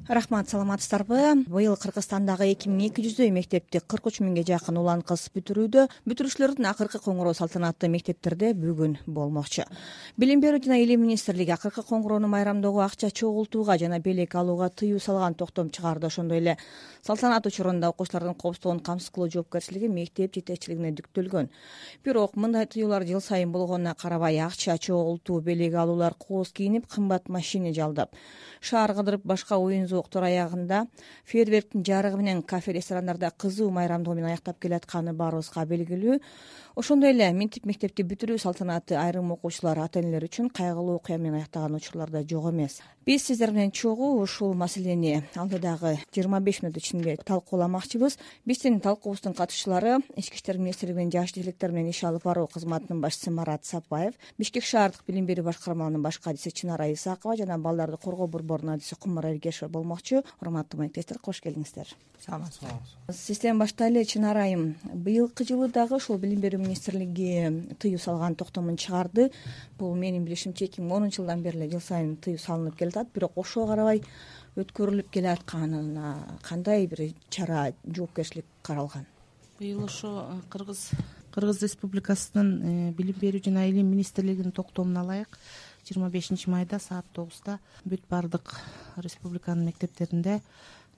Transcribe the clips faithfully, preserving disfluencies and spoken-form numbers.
Рахмат, саламатсыздарбы? Быйыл Кыргызстандагы эки миң эки жүздөй мектепти кырк үч миңге жакын улан кыз бүтүрүүдө. Бүтүрүүчүлөрдүн акыркы коңгуроо салтанаты мектептерде бүгүн болмокчу. Билим берүү жана илим министрлиги акыркы коңгуроону майрамдоого, акча чогултууга жана белек алууга тыюу салган токтом чыгарды. Ошондой эле салтанат учурунда окуучулардын коопсуздугун камсыз кылуу жоопкерчилиги мектеп жетекчилигине жүктөлгөн. Бирок мындай тыюулар жыл сайын болгонуна карабай, акча чогултуу, белек алуулар, кооз кийинип, кымбат машина жалдап, шаар кыдырып, башка оюн зооктор аягында фейерверктин жарыгы менен кафе, ресторандарда кызуу майрамдоо менен аяктап келатканы баарыбызга белгилүү. Ошондой эле минтип мектепти бүтүрүү салтанаты айрым окуучулар, ата-энелер үчүн кайгылуу окуя менен аяктаган учурлар да жок эмес. Биз сиздер менен чогуу ушул маселени алдыдагы жыйырма беш мүнөт ичинде талкууламакчыбыз. Биздин талкуубуздун катышчылары Ички иштер министрлигинин жаш делектер менен иш алып баруу кызматынын башчысы Марат Сапаев, Бишкек шаардык билим берүү башкармаларынын баш кадиси Чынара Исакова жана балдарды коргоо борборунун адиси Кумар Эргешева болмокчу. Урматтуу маектештер, кош келиңиздер. Саламатсызбы. Сизден баштайлы, Чынара айым. Быйылкы жылы дагы ушул билим берүү министрлиги тыюу салган токтомун чыгарды. Бул менин билишимче эки миң онунчу жылдан бери эле жыл сайын тыюу салынып келатат. Бирок ошого карабай өткөрүлүп келатканына кандай бир чара, жоопкерчилик каралган? Быйыл ошо Кыргыз Кыргыз Республикасынын билим берүү жана илим министрлигинин токтомуна ылайык жыйырма бешинчи майда саат тогузда бүт бардык республиканын мектептеринде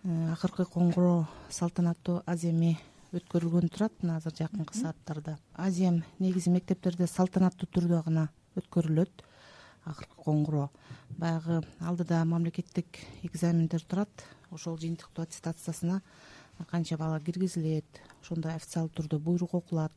акыркы коңгуроо салтанаттуу аземи өткөрүлгөн турат. Мына азыр жакынкы сааттарда азем негизи мектептерде салтанаттуу түрдө гана өткөрүлөт. Акыркы коңгуроо баягы алдыда мамлекеттик экзамендер турат. Ошол жыйынтыктуу аттестациясына канча бала киргизилет, ошондой официалдуу түрдө буйрук окулат.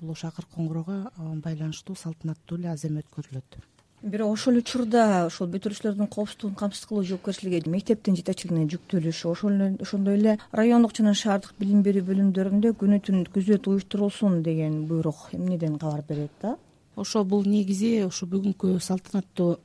Бул ошо акыркы коңгуроого байланыштуу салтанаттуу эле азем өткөрүлөт. Бирок ошол учурда ошол бүтүрүүчүлөрдүн коопсуздугун камсыз кылуу жоопкерчилиги мектептин жетекчилигине жүктөлүшү, ошондой эле райондук жана шаардык билим берүү бөлүмдөрүндө күнү түн күзөт уюштурулсун деген буйрук эмнеден кабар берет да? Ошо бул негизи ошо бүгүнкү салтанаттуу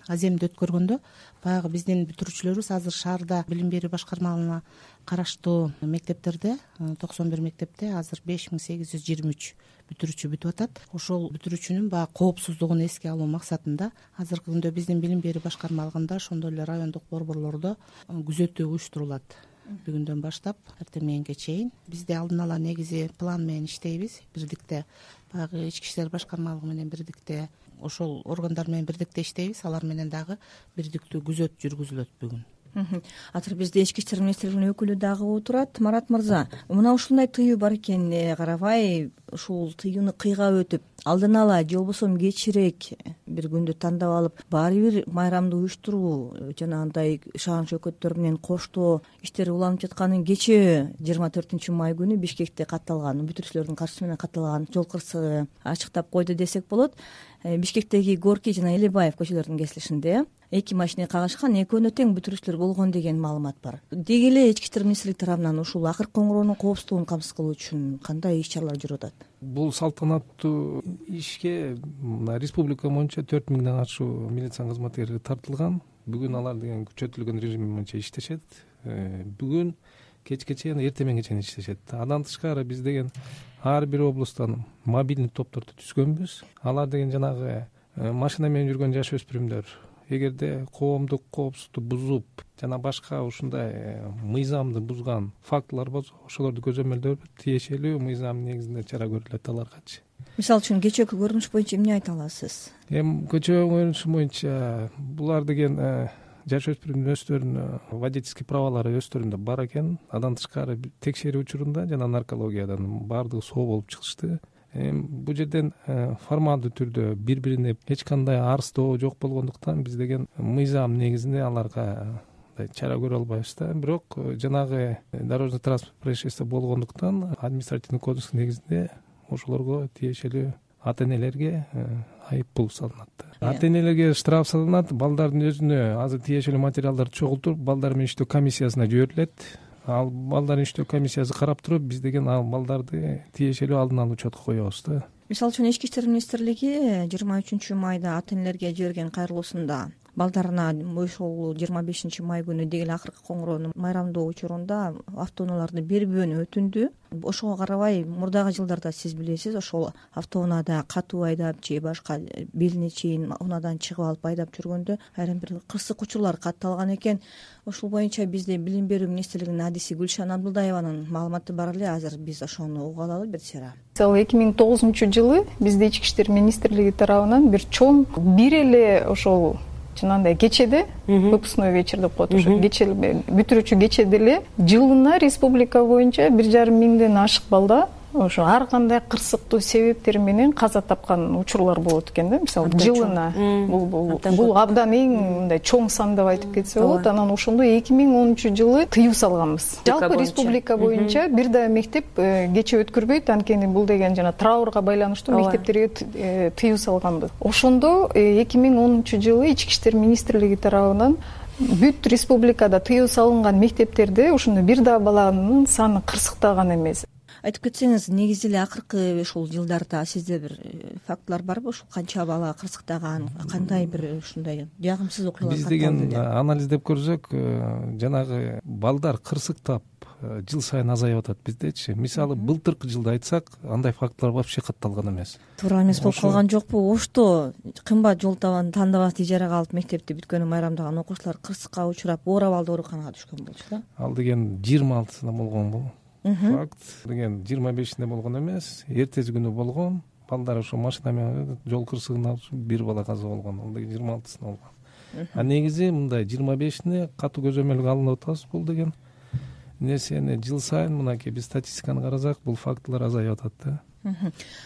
аземди өткөргөндө баягы биздин бүтүрүүчүлөрүбүз азыр шаарда билим берүү башкармаларына караштуу мектептерде токсон бир мектепте азыр беш миң сегиз жүз жыйырма үч бүтүрүүчү бүтүп атат. Ошол бүтүрүүчүнүн баягы коопсуздугун эске алуу максатында азыркы күндө биздин билим берүү башкармалыгында ошондой эле райондук борборлордо күзөтүү уюштурулат. Бүгүндөн баштап эртең мененге чейин бизде алдын ала негизи план менен иштейбиз. Бирдикте баягы ички иштер башкармалыгы менен бирдикте ошол органдар менен бирдикте иштейбиз. Алар менен дагы бирдиктүү күзөт жүргүзүлөт бүгүн. Азыр бизде ички иштер министрлигинин өкүлү дагы отурат. Марат мырза, мына ушундай тыюу бар экенине карабай, ушул тыюуну кыйгап өтүп, алдын ала же болбосо кечирээк бир күндү тандап алып, баары бир майрамды уюштуруу жана андай шаан шөкөттөр менен коштоо иштери уланып жатканын кечээ жыйырма төртүнчү май күнү Бишкекте катталган, бүтүрүүчүлөрдүн катышуусу менен катталган жол кырсыгы ачыктап койду десек болот. Бишкектеги Горький жана Элебаев көчөлөрүнүн кесилишинде эки машина кагышкан, экөөнө тең бүтүрүүчүлөр болгон деген маалымат бар. Деги эле ички иштер министрлиги тарабынан ушул акыркы коңгуроонун коопсуздугун камсыз кылуу үчүн кандай иш-чаралар жүрүп атат? Бул салтанаттуу ишке мына республика боюнча төрт миңден ашуун милиция кызматкери тартылган. Бүгүн алар деген күчөтүлгөн режим боюнча иштешет. Бүгүн кечке чейин, эртең мененге чейин иштешет. Андан тышкары биз деген ар бир облустан мобильный топторду түзгөнбүз. Алар деген жанагы машина менен жүргөн жаш өспүрүмдөр эгерде коомдук коопсуздукту бузуп жана башка ушундай мыйзамды бузган фактылар болсо, ошолорду көзөмөлдөп тиешелүү мыйзам негизинде чара көрүлөт аларгачы. Мисалы үчүн кечээки көрүнүш боюнча эмне айта аласыз? Эми кечээки көрүнүш боюнча булар деген жаш өспүрүмдүн өздөрүнүн водительский праволору өздөрүндө бар экен. Андан тышкары текшерүү учурунда жана наркологиядан баардыгы соо болуп чыгышты. Бул жерден формалдуу түрдө бири бирине эч кандай арыздоо жок болгондуктан биз деген мыйзам негизинде аларга чара көрө албайбыз да. Бирок жанагы дорожный транспорт происшествие болгондуктан административный кодекс негизинде ошолорго тиешелүү ата-энелерге айып пул салынат. Ата-энелерге штраф салынат. Балдардын өзүнө азыр тиешелүү материалдарды чогултуруп, балдар менен иштөө комиссиясына жиберилет. Ал балдардын иштөө комиссиясы карап туруп, биз деген ал балдарды тиешелүү алдын ала учетко коебуз да. Мисалы үчүн Ички иштер министрлиги жыйырма үчүнчү майда ата-энелерге жиберген кайрылуусунда балдарына ошол жыйырма бешинчи май күнү деги эле акыркы коңгуроону майрамдоо учурунда автоунааларды бербөөнү өтүндү. Ошого карабай мурдагы жылдарда сиз билесиз ошол автоунаада катуу айдап же башка белине чейин унаадан чыгып алып айдап жүргөндө айрым бир кырсык учурлар катталган экен. Ошол боюнча бизде Билим берүү министрлигинин адиси Гүлшан Абдылдаеванын маалыматы бар эле. Азыр биз ошону угуп алалы Берсера. Мисалы эки миң тогузунчу жылы бизде Ички иштер министрлиги тарабынан бир чоң бир эле ошол жанагындай кечеде выпускной вечер деп коет, ошо кече бүтүрүүчү кечеде эле жылына республика боюнча бир жарым миңден ашык балда ошо ар кандай кырсыктуу себептер менен каза тапкан учурлар болот экен да. Мисалы жылына бул бул абдан эң мындай чоң сан деп айтып кетсе болот. Анан ошондо эки миң онунчу жылы тыюу салганбыз. Жалпы республика боюнча бир да мектеп кече өткөрбөйт, анткени бул деген жана траурга байланыштуу мектептерге тыюу салганбыз. Ошондо эки миң онунчу жылы Ички иштер министрлиги тарабынан бүт республикада тыюу салынган мектептерде ошондо бир да баланын саны кырсыктаган эмес. Айтып кетсеңиз, негизи эле акыркы ушул жылдарда сизде бир фактылар барбы? Ушул канча бала кырсыктаган, кандай бир ушундай жагымсыз окуялар биз деген анализдеп көрсөк, жанагы балдар кырсыктап жыл сайын азайып атат биздечи. Мисалы, былтыркы жылда айтсак, андай фактылар вообще катталган эмес. Туура эмес болуп калган жокпу? Ошто кымбат жол табан тандабас ижарага алып мектепти бүткөнү майрамдаган окуучулар кырсыкка учурап, оорап алды, ооруканага түшкөн болчу да. Ал деген жыйырма алтысында болгон бул. Факт деген жыйырма бешинде болгон эмес, эртеси күнү болгон. Балдар ошо машина менен жол кырсыгынан бир бала каза болгон. Ал деген жыйырма алтысында болгон. А негизи мындай жыйырма бешине катуу көзөмөлгө алынып атабыз. Бул деген нерсени жыл сайын мынакей биз статистиканы карасак, бул фактылар азайып атат да.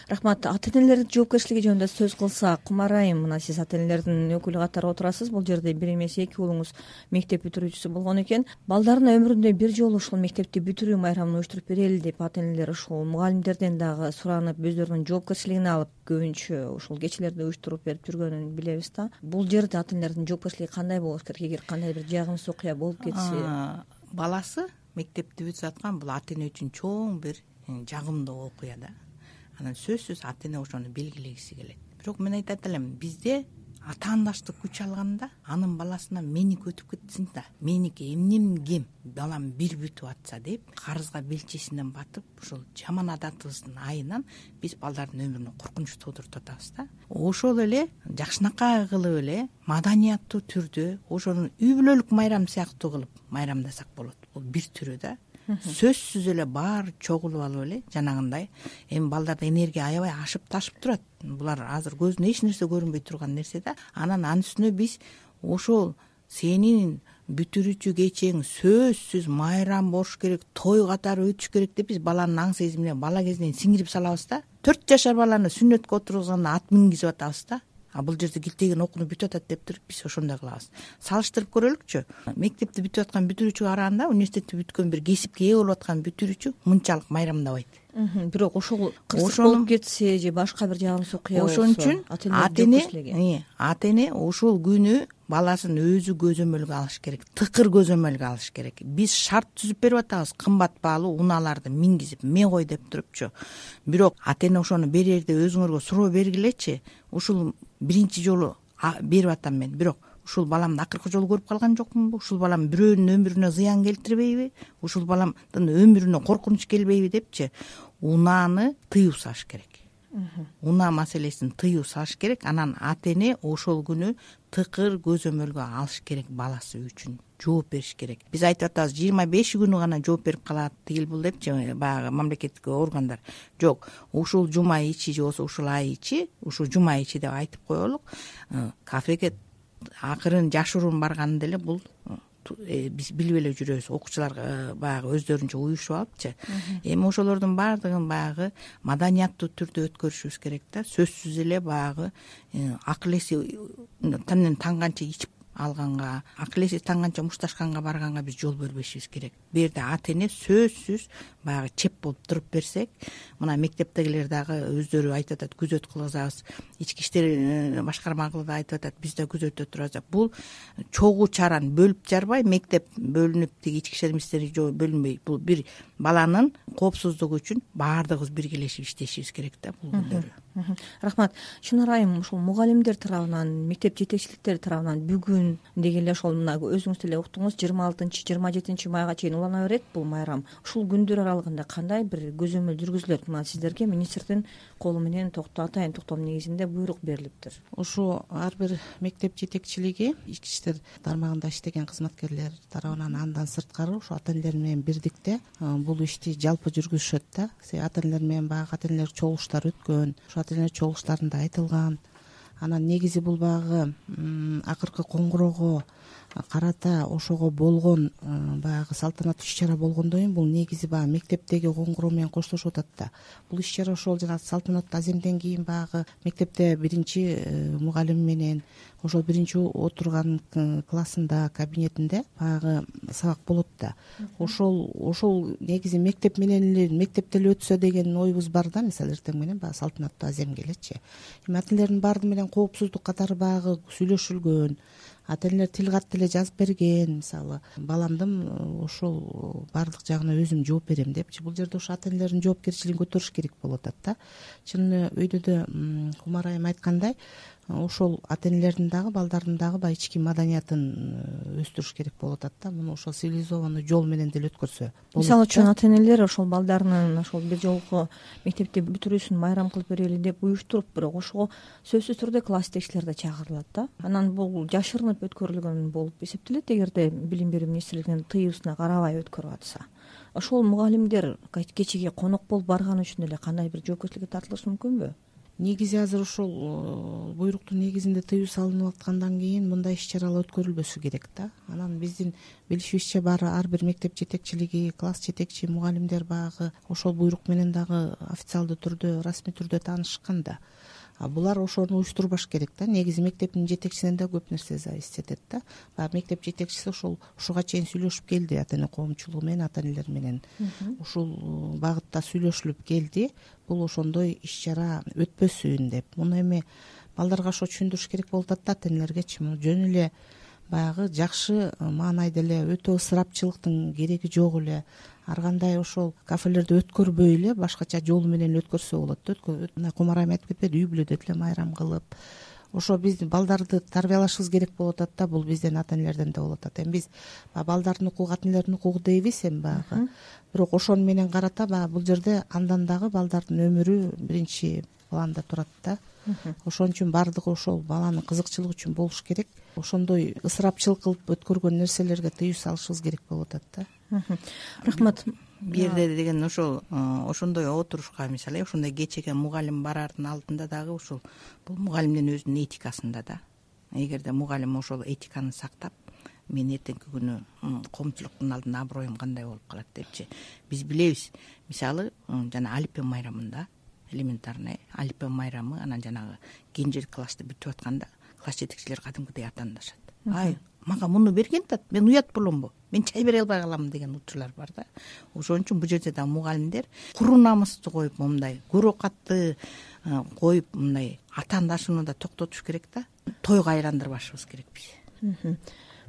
Рахмат. Ата-энелердин жоопкерчилиги жөнүндө сөз кылсак, Кумар айым, мына сиз ата-энелердин өкүлү катары отурасыз. Бул жерде бир эмес эки уулуңуз мектеп бүтүрүүчүсү болгон экен. Балдарына өмүрүндө бир жолу ушул мектепти бүтүрүү майрамын уюштуруп берели деп ата-энелер ушул мугалимдерден дагы суранып, өздөрүнүн жоопкерчилигине алып, көбүнчө ушул кечелерди уюштуруп берип жүргөнүн билебиз да. Бул жерде ата-энелердин жоопкерчилиги кандай болуш керек? Эгер кандай бир жагымсыз окуя болуп кетсе, баласы мектепти бүтүп аткан бул ата-эне үчүн чоң бир жагымдуу окуя да. Анан сөзсүз ата-эне ошону белгилегиси келет. Бирок мен айтат элем, бизде атаандаштык күч алганда анын баласына меники өтүп кетсин да, меники эмнем кем, балам бир бүтүп атса деп, карызга белчесинен батып, ушул жаман адатыбыздын айынан биз балдардын өмүрүнө коркунуч туудуруп атабыз да. Ошол эле жакшынакай кылып эле маданияттуу түрдө ошонун үй бүлөлүк майрам сыяктуу кылып майрамдасак болот. Бул бир түрү да. Сөзсүз эле баары чогулуп алып эле жанагындай эми балдарда энергия аябай ашып ташып турат. Булар азыр көзүнө эч нерсе көрүнбөй турган нерсе да. Анан анын үстүнө биз ошол сенин бүтүрүүчү кечең сөзсүз майрам болуш керек, той катары өтүш керек деп биз баланын аң сезимине бала кезинен сиңирип салабыз да. төрт жашар баланы сүннөткө отургузганда ат мингизип атабыз да. А бул жерде килтеген окууну бүтүп атат деп туруп биз ошондой кылабыз. Салыштырып көрөлүкчү. Мектепти бүтүп аткан бүтүрүүчүгө караганда университетти бүткөн бир кесипке ээ болуп аткан бүтүрүүчү мынчалык майрамдабайт. Бирок ошол кырсык болуп кетсе же башка бир жагымсыз окуя болсо, ошон үчүн ата-эне ата-эне ошол күнү баласын өзү көзөмөлгө алыш керек, тыкыр көзөмөлгө алыш керек. Биз шарт түзүп берип атабыз, кымбат баалуу унааларды мингизип ме кой деп турупчу. Бирок ата-эне ошону берерде өзүңөргө суроо бергилечи. Ушул биринчи жолу берип атам мен. Бирок ушул баламды акыркы жолу көрүп калган жокмунбу? Ушул балам бирөөнүн өмүрүнө зыян келтирбейби? Ушул баламдын өмүрүнө коркунуч келбейби депчи унааны тыюу салыш керек. Унаа маселесин тыюу салыш керек. Анан ата-эне ошол күнү тыкыр көзөмөлгө алыш керек баласы үчүн. Жооп бериш керек. Биз айтып атабыз, жыйырма беш күнү гана жооп берип калат тигил бул депчи баягы мамлекеттик органдар. Жок, ушул жума ичи же болбосо ушул ай ичи, ушул жума ичи деп айтып коелук. Кафеге акырын жашыруун барганда деле бул биз билип эле жүрөбүз. Окуучулар баягы өздөрүнчө уюшуп алыпчы. Эми ошолордун баардыгын баягы маданияттуу түрдө өткөрүшүбүз керек да. Сөзсүз эле баягы акыл эси танден танганча ичип алганга, акыл эси танганча мушташканга барганга биз жол бербешибиз керек. Бу жерде ата-эне сөзсүз баягы чеп болуп туруп берсек, мына мектептегилер дагы өздөрү айтып атат, күзөт кылгызабыз. Ички иштер башкармагы да айтып атат, биз да күзөттө турабыз. Бул чогуу чаран бөлүп жарбай, мектеп бөлүнүп тиги ички иштер министрлиги бөлүнбөй, бул бир баланын коопсуздугу үчүн баардыгыбыз биргелешип иштешибиз керек да бул күндөрү. Рахмат. Шынар айым, ушул мугалимдер тарабынан, мектеп жетекчиликтери тарабынан бүгүн күн деги эле ошол мына өзүңүз деле уктуңуз жыйырма алтынчы жыйырма жетинчи майга чейин улана берет бул майрам. Ушул күндөр аралыгында кандай бир көзөмөл жүргүзүлөт? Мына сиздерге министрдин колу менен атайын токтом негизинде буйрук берилиптир. Ушу ар бир мектеп жетекчилиги ички иштер тармагында иштеген кызматкерлер тарабынан андан сырткары ушу ата энелер менен бирдикте бул ишти жалпы жүргүзүшөт да. Ата энелер менен баягы ата энелер чогулуштар өткөн, ушу ата энелер чогулуштарында айтылган. Анан негизи бул баягы акыркы коңгуроого карата ошого болгон баягы салтанаттуу иш чара болгондон кийин бул негизи баягы мектептеги коңгуроо менен коштошуп атат да. Бул иш чара ошол жана салтанаттуу аземден кийин баягы мектепте биринчи мугалим менен ошол биринчи отурган классында кабинетинде баягы сабак болот да. Ошол ошол негизи мектеп менен эле мектепте эле өтсө деген оюбуз бар да. Мисалы эртең менен баягы салтанаттуу аземге элечи. Эми ата энелердин баардыгы менен коопсуздук катары баягы сүйлөшүлгөн, ата энелер тил катты эле жазып берген. Мисалы баламдын ошол баардык жагына өзүм жооп берем депчи. Бул жерде ошо ата энелердин жоопкерчилигин көтөрүш керек болуп атат да. Чын өйдө да Кумар айым айткандай, ошол ата энелердин дагы балдардын дагы баягы ички маданиятын өстүрүш керек болуп атат да. Муну ошол цивилизованный жол менен деле өткөрсө болот. Мисалы үчүн ата энелер ошол балдарынын ошол бир жолку мектепти бүтүрүүсүн майрам кылып берели деп уюштуруп, бирок ошого сөзсүз түрдө класс жетекчилер да чакырылат да. Анан бул жашырынып өткөрүлгөн болуп эсептелет эгерде билим берүү министрлигинин тыюусуна карабай өткөрүп атса. Ошол мугалимдер кечеге конок болуп барганы үчүн эле кандай бир жоопкерчиликке тартылышы мүмкүнбү? Негизи азыр ошол буйруктун негизинде тыюу салынып аткандан кийин мындай иш чаралар өткөрүлбөсү керек да. Анан биздин билишибизче баары ар бир мектеп жетекчилиги, класс жетекчи, мугалимдер баягы ошол буйрук менен дагы официалдуу түрдө, расмий түрдө таанышкан да. А булар ошону уюштурбаш керек да. Негизи мектептин жетекчисинен да көп нерсе зависить этет да. Баягы мектеп жетекчиси ошол ушуга чейин сүйлөшүп келди ата эне коомчулугу менен, ата энелер менен. Ушул багытта сүйлөшүлүп келди. Бул ошондой иш чара өтпөсүн деп. Муну эми балдарга ошо түшүндүрүш керек болуп атат да ата энелергечи. Муну жөн эле баягы жакшы маанайда эле өтө ысырапчылыктын кереги жок эле. Ар кандай ошол кафелерди өткөрбөй эле башкача жол менен өткөрсө болот. Мына Кумар айым айтып кетпеди, үй бүлөдө деле майрам кылып. Ошо биздин балдарды тарбиялашыбыз керек болуп атат да. Бул бизден ата энелерден да болуп атат. Эми биз балдардын укугу ата энелердин укугу дейбиз эми баягы. Бирок ошону менен карата баягы бул жерде андан дагы балдардын өмүрү биринчи планда турат да. Ошон үчүн баардыгы ошол баланын кызыкчылыгы үчүн болуш керек. Ошондой ысырапчылык кылып өткөргөн нерселерге тыюу салышыбыз керек болуп атат да. Рахмат. Бу жерде деген ошол ошондой отурушка мисалы ошондой кечеге мугалим барардын алдында дагы ушул бул мугалимдин өзүнүн этикасында да. Эгерде мугалим ошол этиканы сактап, мен эртеңки күнү коомчулуктун алдында аброюм кандай болуп калат депчи. Биз билебиз. Мисалы жана алипе майрамында элементарный алипе майрамы, анан жанагы кенже классты бүтүп атканда класс жетекчилер кадимкидей атаандашат. Ай, мага муну берген да, мен уят боломбу? Мен чай бере албай калам деген учурлар бар да. Ошон үчүн бул жерде да мугалимдер куру намысту коюп, мындай көрөкатты коюп, мындай атаандашууну да токтотуш керек да. Тойго айландырбашыбыз керек биз.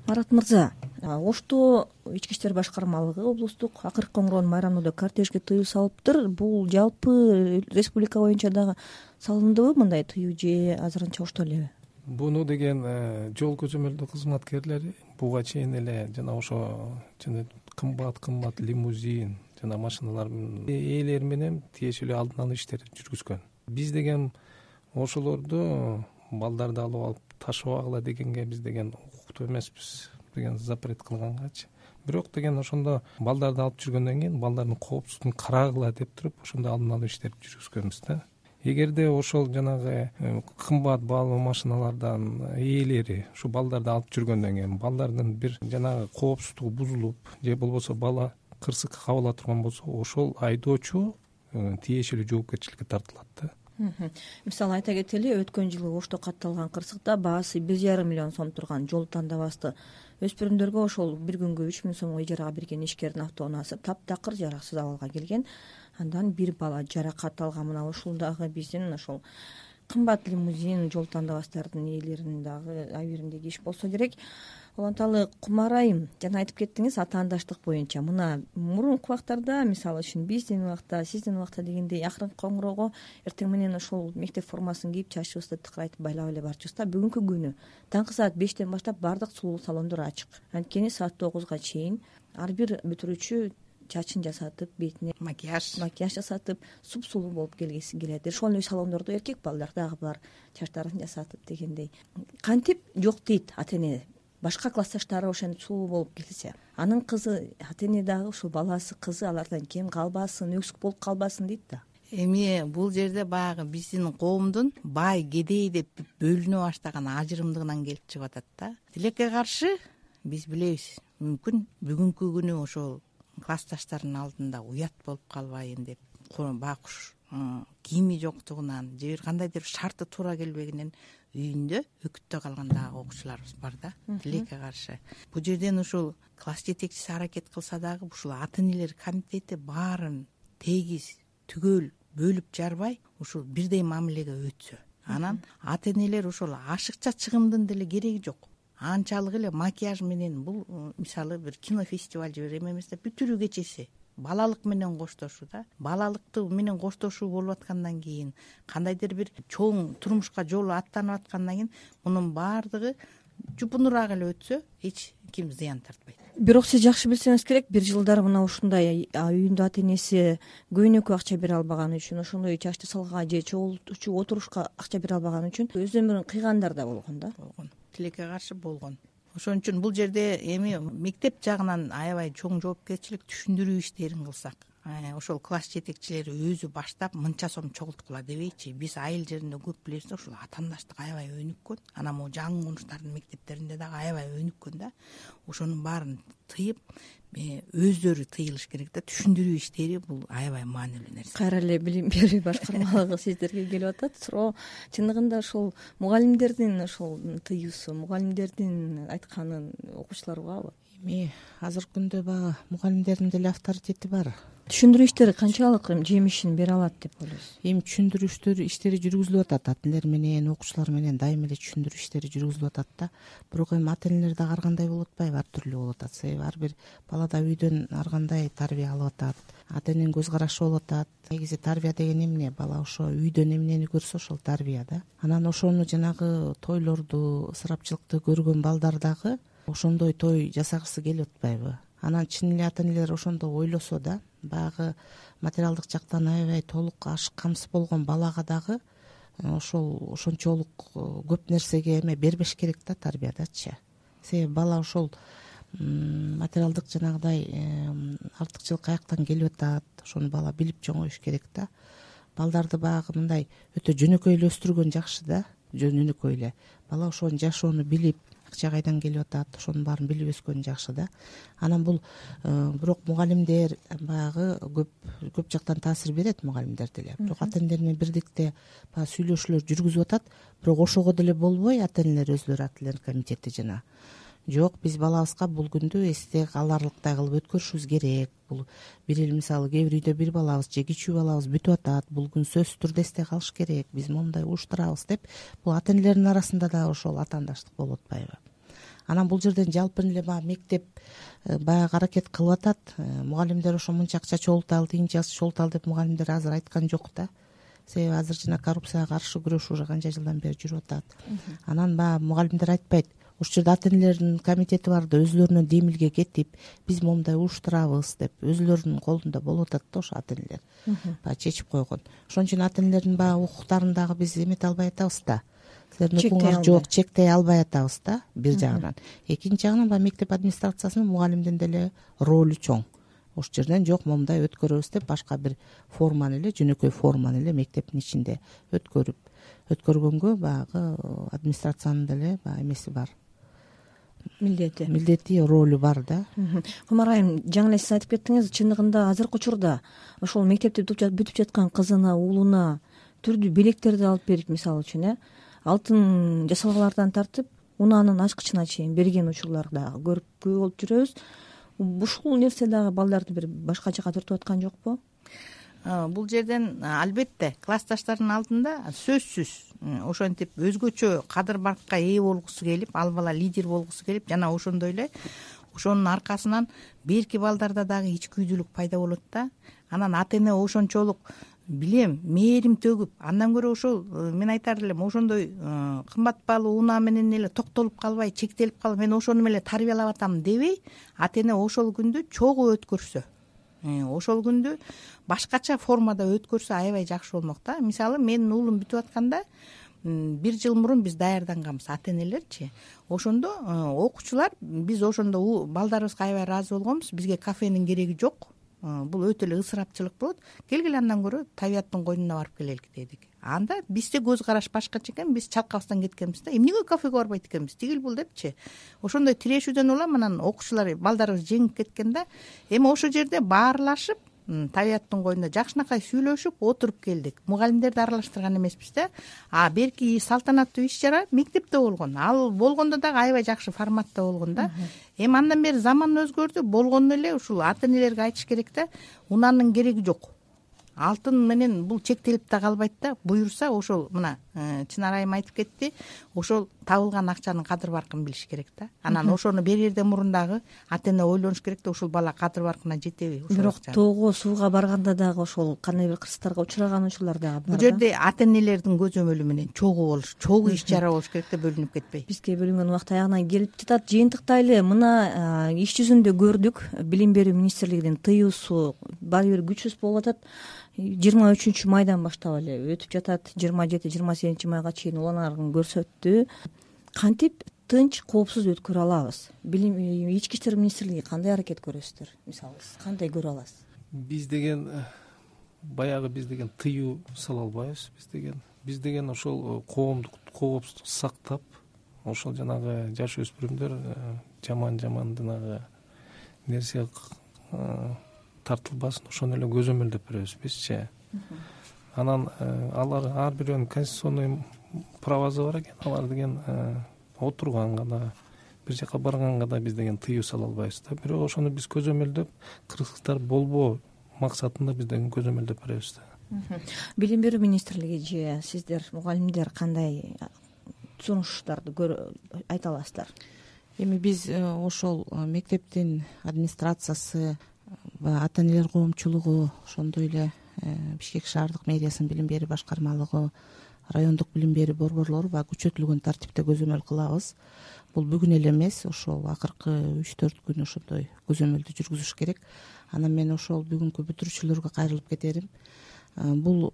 Марат мырза, Ошто ички иштер башкармалыгы облустук акыркы коңгуроонун майрамында кортежге тыюу салыптыр. Бул жалпы республика боюнча дагы салындыбы мындай тыюу же азырынча Ошто элеби? Буну деген жол көзөмөлдөө кызматкерлери буга чейин эле жана ошо жана кымбат кымбат лимузин жана машиналардын ээлери менен тиешелүү алдын алуу иштерин жүргүзгөн. Биз деген ошолорду балдарды алып алып ташыбагыла дегенге биз деген укуктуу эмеспиз деген запрет кылгангачы. Бирок деген ошондо балдарды алып жүргөндөн кийин балдардын коопсуздугун карагыла деп туруп ошондо алдын алуу иштерин жүргүзгөнбүз да. Эгерде ошол жанагы кымбат баалуу машиналардан ээлери ушу балдарды алып жүргөндөн кийин балдардын бир жанагы коопсуздугу бузулуп же болбосо бала кырсыкка кабыла турган болсо, ошол айдоочу тиешелүү жоопкерчиликке тартылат да. Мисалы айта кетели, өткөн жылы Ошто катталган кырсыкта баасы бир жарым миллион сом турган жол тандабасты өспүрүмдөргө ошол бир күнгө үч миң сомго ижарага берген ишкердин автоунаасы таптакыр жараксыз абалга келген. Андан бир бала жаракат алган. Мына ушул дагы биздин ошол кымбат лимузин жол тандабастардын ээлеринин дагы абийириндеги иш болсо керек. уланталы Кумар айым, жана айтып кеттиңиз атаандаштык боюнча мына мурунку убактарда, мисалы үчүн биздин убакта, сиздин убакта дегендей акыркы коңгуроого эртең менен ошол мектеп формасын кийип чачыбызды тыкыр айтып байлап эле барчубуз да. Бүгүнкү күнү таңкы саат бештен баштап баардык сулуу салондор ачык. Анткени саат тогузга чейин ар бир бүтүрүүчү чачын жасатып, бетине макияж макияж жасатып, супсулуу болуп келгиси келет. Ошол эле салондордо эркек балдар дагы бар, чачтарын жасатып дегендей. Кантип жок дейт ата эне. Башка классташтары ошентип сулуу болуп келсе, анын кызы, ата эне дагы ушул баласы, кызы алардан кем калбасын, өксүк болуп калбасын дейт да. Эми бул жерде баягы биздин коомдун бай, кедей деп бөлүнө баштаган ажырымдыгынан келип чыгып атат да. Тилекке каршы биз билебиз, мүмкүн бүгүнкү күнү ошол классташтардын алдында уят болуп калбайын деп, байкуш кийими жоктугунан же бир кандайдыр шарты туура келбегенен үйүндө өкүттө калган дагы окуучуларыбыз бар да. Тилекке каршы бул жерден ушул класс жетекчиси аракет кылса дагы ушул ата энелер комитети баарын тегиз түгөл бөлүп жарбай ушул бирдей мамилеге өтсө, анан ата энелер ошол ашыкча чыгымдын деле кереги жок. Анчалык эле макияж менен бул мисалы бир кинофестиваль же бир эме эмес да, бүтүрүү кечеси балалык менен коштошуу да. Балалыкты менен коштошуу болуп аткандан кийин, кандайдыр бир чоң турмушка жолу аттанып аткандан кийин мунун баардыгы жупунураак эле өтсө эч ким зыян тартпайт. Бирок сиз жакшы билсеңиз керек, бир жылдары мына ушундай үйүндө ата энеси көйнөккө акча бере албаганы үчүн, ошондой чачты салга же чогултуучу отурушка акча бере албаганы үчүн өз өмүрүн кыйгандар да болгон да. болгон Тилекке каршы болгон. Ошон үчүн бул жерде эми мектеп жагынан аябай чоң жоопкерчилик түшүндүрүү иштерин кылсак, ошол класс жетекчилери өзү баштап мынча сом чогулткула дебейчи. Биз айыл жеринде көп билебиз да, ушул атаандаштык аябай өнүккөн. Анан могу жаңы конуштардын мектептеринде дагы аябай өнүккөн да. Ошонун баарын тыйып, өздөрү тыйылыш керек да. Түшүндүрүү иштери бул аябай маанилүү нерсе. Кайра эле билим берүү башкармалыгы сиздерге келип атат. Суроо чындыгында ошол мугалимдердин ошол тыюусу, мугалимдердин айтканын окуучулар угабы? Эми азыркы күндө баягы мугалимдердин деле авторитети бар. Түшүндүрүү иштери канчалык жемишин бере алат деп ойлойсуз? Эми түшүндүрүү иштери жүргүзүлүп атат, ата энелер менен, окуучулар менен дайыма эле түшүндүрүү иштери жүргүзүлүп атат да. Бирок эми ата энелер дагы ар кандай болуп атпайбы, ар түрлүү болуп атат. Себеби ар бир бала да үйдөн ар кандай тарбия алып атат, ата эненин көз карашы болуп атат. Негизи тарбия деген эмне? Бала ошо үйдөн эмнени көрсө ошол тарбия да. Анан ошону жанагы тойлорду, ысырапчылыкты көргөн балдар дагы ошондой той жасагысы келип атпайбы? Анан чын эле ата энелер ошондо ойлосо да, баягы материалдык жактан аябай толук ашык камсыз болгон балага дагы ошол ошончолук көп нерсеге эме бербеш керек да, тарбиядачы. Себеби бала ошол материалдык жанагыдай артыкчылык каяктан келип атат, ошону бала билип чоңоюш керек да. Балдарды баягы мындай өтө жөнөкөй эле өстүргөн жакшы да, жөнөкөй эле. Бала ошонун жашоону билип, акча кайдан келип атат, ошонун баарын билип өскөн жакшы да. Анан бул бирок мугалимдер баягы көп көп жактан таасир берет, мугалимдер деле. Бирок ата энелер менен бирдикте баягы сүйлөшүүлөр жүргүзүп атат. Бирок ошого деле болбой ата энелер өздөрү ата энелер комитети жана жок, биз балабызга бул күндү эсте каларлыктай кылып өткөрүшүбүз керек. Бул бир эл мисалы кээ бир үйдө бир балабыз же кичүү балабыз бүтүп атат, бул күн сөзсүз түрдө эсте калыш керек, биз момундай уюштурабыз деп, бул ата энелердин арасында да ошол атаандаштык болуп атпайбы? Анан бул жерден жалпы эле баягы мектеп баягы аракет кылып атат. Мугалимдер ошо мынча акча чогулталы, тигинче акча чогулталы деп мугалимдер азыр айткан жок да. Себеби азыр жана коррупцияга каршы күрөшүү уже канча жылдан бери жүрүп атат. Анан баягы мугалимдер айтпайт, ушул жерде ата энелердин комитети бар да, өзүлөрүнөн демилге кетип, биз момундай уюштурабыз деп, өзүлөрүнүн колунда болуп атат да ошо ата энелер. Баягы чечип койгон. Ошон үчүн ата энелердин баягы укуктарын дагы биз эмете албай атабыз да. Силердин укугуңар жок, чектей албай атабыз да, бир жагынан. Экинчи жагынан баягы мектеп администрациясынын, мугалимдин деле ролу чоң. Ошол жерден жок, момундай өткөрөбүз деп башка бир форманы эле, жөнөкөй форманы эле мектептин ичинде өткөрүп, өткөргөнгө баягы администрациянын деле баягы эмеси бар. Милдети. Милдети, ролу бар да. Кумар айым, жаңы эле сиз айтып кеттиңиз, чындыгында азыркы учурда ошол мектепти бүтүп жаткан кызына, уулуна түрдүү белектерди алып берип, мисалы үчүн, э, алтын жасалгалардан тартып, унаанын ачкычына чейин берген учурлар дагы көрүп болуп жүрөбүз. Ушул нерсе дагы балдарды бир башка жака тартып аткан жокпу? бул жерден албетте классташтардын алдында сөзсүз ошентип өзгөчө кадыр баркка ээ болгусу келип, ал бала лидер болгусу келип, жана ошондой эле ошонун аркасынан берки балдарда дагы ичкүйдүүлүк пайда болот да. Анан ата эне ошончолук билем мээрим төгүп, андан көрө ошол мен айтар элем, ошондой кымбат баалуу унаа менен эле токтолуп калбай, чектелип калып, мен ошону эле тарбиялап атам дебей, ата эне ошол күндү чогуу өткөрсө, ошол күндү башкача формада өткөрсө аябай жакшы болмок да. Мисалы, менин уулум бүтүп атканда бир жыл мурун биз даярданганбыз, ата энелерчи. Ошондо окуучулар, биз ошондо балдарыбызга аябай ыраазы болгонбуз. Бизге кафенин кереги жок. Бул өтө эле ысырапчылык болот. Келгиле андан көрө табияттын койнуна барып келелик дедик. Анда бизде көз караш башкача экен, биз чалкабыздан кеткенбиз да. Эмнеге кафеге барбайт экенбиз? Тигил бул депчи. Ошондой тирешүүдөн улам анан окуучулар, балдарыбыз жеңип кеткен да. Эми ошол жерде баарлашып, табияттын койнунда жакшынакай сүйлөшүп отуруп келдик. Мугалимдерди аралаштырган эмеспиз да. А берки салтанаттуу иш чара мектепте болгон. Ал болгондо дагы аябай жакшы форматта болгон да. Эми андан бери заман өзгөрдү, болгону эле ушул ата энелерге айтыш керек да, унаанын кереги жок. Алтын менен бул чектелип да калбайт да. Буюрса ошол мына Чынар айым айтып кетти, ошол табылган акчанын кадыр баркын билиш керек да. Анан ошону берерден мурун дагы ата эне ойлонуш керек да, ушул бала кадыр баркына жетеби? Бирок тоого сууга барганда дагы ошол кандай бир кырсыктарга учураган учурлар дагы бар. Бул жерде ата энелердин көзөмөлү менен чогуу болуш, чогуу иш чара болуш керек да, бөлүнүп кетпей. Бизге бөлүнгөн убакыт аягына келип жатат. Жыйынтыктайлы, мына иш жүзүндө көрдүк, билим берүү министрлигинин тыюусу баары бир күчсүз болуп атат. жыйырма үчүнчү майдан баштап эле өтүп жатат. жыйырма жети жыйырма сегизинчи майга чейин уланарын көрсөттү. Кантип тынч, коопсуз өткөрө алабыз? Билим ички иштер министрлиги кандай аракет көрөсүздөр? Мисалы, кандай көрө аласыз? Биз деген баягы биз деген тыюу сала албайбыз. Биз деген биз деген ошол коомдук коопсуздук сактап, ошол жанагы жаш өспүрүмдөр жаман жаман жанагы нерсе тартылбасын, ошону эле көзөмөлдөп беребиз бизчи. Анан алар ар бирөөнүн конституционный правасы бар экен. Алар деген отурганга да, бир жака барганга да биз деген тыюу сала албайбыз да. Бирок ошону биз көзөмөлдөп, кырсыктар болбоо максатында биз деген көзөмөлдөп беребиз да. Билим берүү министрлиги же сиздер мугалимдер кандай сунуштарды айта аласыздар? Эми биз ошол мектептин администрациясы, ата энелер коомчулугу, ошондой эле Бишкек шаардык мэриясынын билим берүү башкармалыгы, райондук билим берүү борборлору баягы күчөтүлгөн тартипте көзөмөл кылабыз. Бул бүгүн эле эмес, ошол акыркы үч төрт күн ошондой көзөмөлдү жүргүзүш керек. Анан мен ошол бүгүнкү бүтүрүүчүлөргө кайрылып кетерим. Бул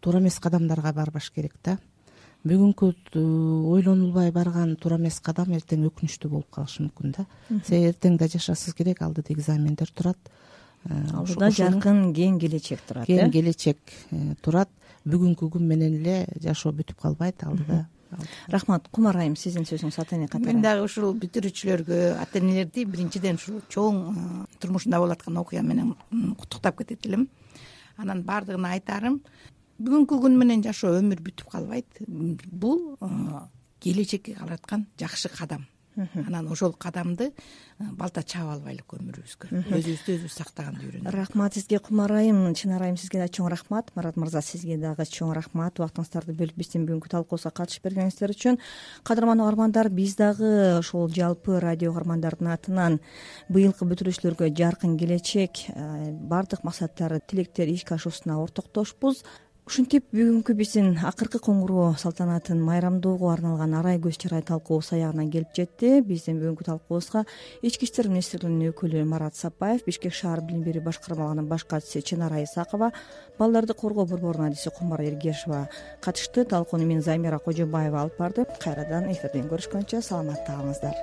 туура эмес кадамдарга барбаш керек да. Бүгүнкү ойлонулбай барган туура эмес кадам эртең өкүнүчтүү болуп калышы мүмкүн да. Себеби эртең да жашашыңыз керек, алдыда экзамендер турат. Алдыда жаркын кең келечек турат. Кең келечек турат. Бүгүнкү күн менен эле жашоо бүтүп калбайт, алдыда. Рахмат. Кумар айым, сиздин сөзүңүз ата эне катары. Мен дагы ушул бүтүрүүчүлөргө, ата энелерди биринчиден ушул чоң турмушунда болуп аткан окуя менен куттуктап кетет элем. Анан баардыгына айтарым, бүгүнкү күн менен жашоо, өмүр бүтүп калбайт. Бул келечекке калаткан жакшы кадам. Анан ошол кадамды балта чаап албайлык өмүрүбүзгө, өзүбүздү өзүбүз сактаганды үйрөнөлүк. Рахмат сизге Кумар айым, Чынар айым, сизге да чоң рахмат. Марат мырза, сизге дагы чоң рахмат. Убактыңыздарды бөлүп биздин бүгүнкү талкуубузга катышып бергениңиздер үчүн. Кадырман угармандар, биз дагы ошол жалпы радио угармандардын атынан быйылкы бүтүрүүчүлөргө жаркын келечек, баардык максаттары, тилектер ишке ашуусуна ортоктошпуз. Ушинтип бүгүнкү биздин акыркы коңгуроо салтанатын майрамдоого арналган арай көз чарай талкуубуз аягына келип жетти. Биздин бүгүнкү талкуубузга ички иштер министрлигинин өкүлү Марат Сапаев, Бишкек шаар билим берүү башкармалыгынын баш катчысы Чынар Исакова, балдарды коргоо борборунун адиси Кумар Эргешова катышты. Талкууну мен Замира Кожобаева алып барды. Кайрадан эфирден көрүшкөнчө саламатта калыңыздар.